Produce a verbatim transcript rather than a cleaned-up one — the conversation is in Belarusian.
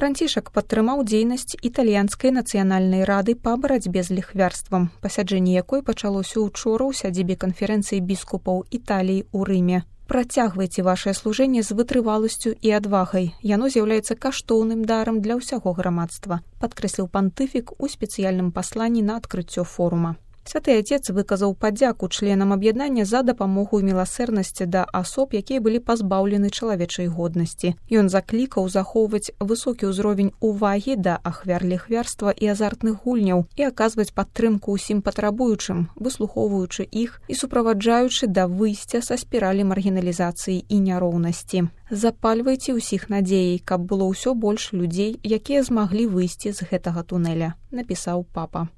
Францішак падтрымаў дзейнасць італьянскай нацыянальнай рады па барацьбе з ліхвярствам, пасяджэнне якой пачалося ўчора ў сядзібе канферэнцыі біскупаў Італіі ў Рыме. Працягвайце вашае служэнне з вытрываласцю і адвагай. Яно з'яўляецца каштоўным дарам для ўсяго грамадства, падкрэсліў пантыфік у спецыяльным пасланні на адкрыццё форума. Святы Отец выказаў падзяку членам аб'яднання за дапамогу і міласэрнасці да асоб, якія былі пазбаўлены чалавечай годнасці. Ён заклікаў захоўваць высокі ўзровень увагі да ахвяр ліхвярства і азартных гульняў і аказваць падтрымку ўсім патрабуючым, выслухоўваючы іх і суправаджаючы да выйсця са спіралі маргіналізацыі і няроўнасці. Запальвайце ўсіх надзеяй, каб было ўсё больш людзей, якія змаглі выйсці з гэтага тунэля, напісаў папа.